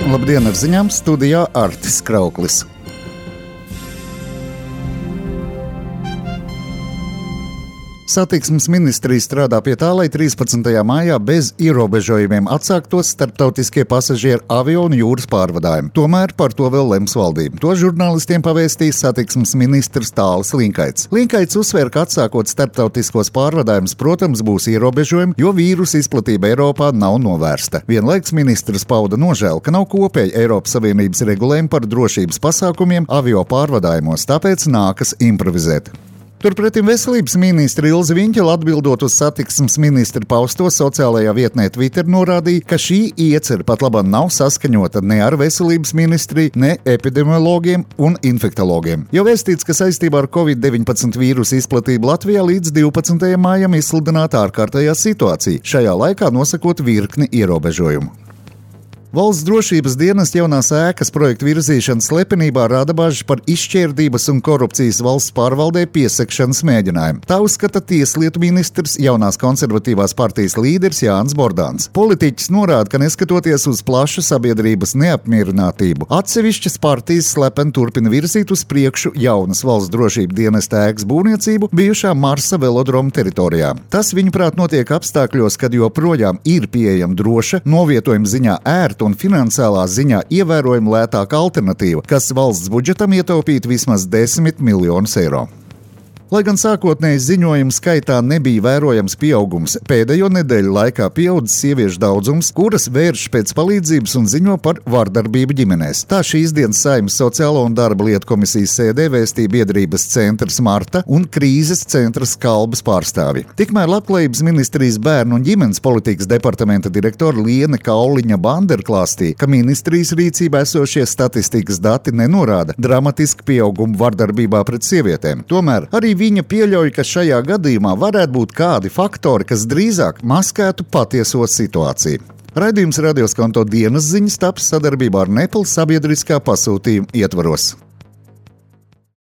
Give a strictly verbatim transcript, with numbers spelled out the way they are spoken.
Labdien, ar ziņām studijā Artis Krauklis. Satiksmes ministrija strādā pie tā, lai trīspadsmitajā maijā bez ierobežojumiem atsāktos starptautiskie pasažieru avio un jūras pārvadājumi. Tomēr par to vēl lems valdība. To žurnālistiem pavēstīs satiksmes ministrs Tālis Linkaits. Linkaits uzsver, ka atsākot starptautiskos pārvadājumus, protams, būs ierobežojumi, jo vīrusa izplatība Eiropā nav novērsta. Vienlaiks ministrs pauda nožēlu, ka nav kopēja Eiropas Savienības regulējumi par drošības pasākumiem avio pārvadājumos, tāpēc nākas improvizēt. Turpretim veselības ministra Ilze Viņķele, atbildot uz satiksmes ministra pausto sociālajā vietnē Twitter, norādīja, ka šī iecere pat labāk nav saskaņota ne ar veselības ministriju, ne epidemiologiem un infektologiem. Jau vēstīts, ka saistībā ar covid deviņpadsmit vīrusu izplatību Latvijā līdz divpadsmitajam maijam izsludināta ārkārtējā situācija, šajā laikā nosakot virkni ierobežojumu. Valsts drošības dienesta jaunās ēkas projekta virzīšana slepenībā rada bažas par izšķērdības un korupcijas valsts pārvaldē piesakšanas mēģinājumu. Tā uzskata tieslietu ministrs, jaunās konservatīvās partijas līderis Jānis Bordāns. Politiķis norāda, ka neskatoties uz plašu sabiedrības neapmierinātību, atsevišķas partijas slepeni turpina virzīt uz priekšu jaunas valsts drošības dienesta ēkas būvniecību bijušā Marsa velodroma teritorijā. Tas, viņuprāt, notiek apstākļos, kad joprojām ir pieejama droša, novietojuma ziņā ērta un finansiālā ziņā ievērojami lētāka alternatīva, kas valsts budžetam ietaupītu vismaz desmit miljonus eiro. Lai gan sākotnēji ziņojumu skaitā nebija vērojams pieaugums, pēdējo nedēļu laikā pieaudzis sieviešu daudzums, kuras vērš pēc palīdzības un ziņo par vardarbību ģimenēs. Tā šīs dienas Saeimas sociālo un darba lietu komisijas sēdē vēstīja biedrības centrs Marta un krīzes centrs Kalbas pārstāvi. Tikmēr Labklājības ministrijas bērnu un ģimenes politikas departamenta direktora Liene Kauliņa Bander klāstīja, ka ministrijas rīcībā esošie statistikas dati nenorāda dramatisku pieaugumu vardarbībā pret sievietēm. Tomēr arī viņa pieļauj, ka šajā gadījumā varētu būt kādi faktori, kas drīzāk maskētu patieso situāciju. Raidījums Radioskonto dienas ziņas taps sadarbībā ar Nepal sabiedriskā pasūtījuma ietvaros.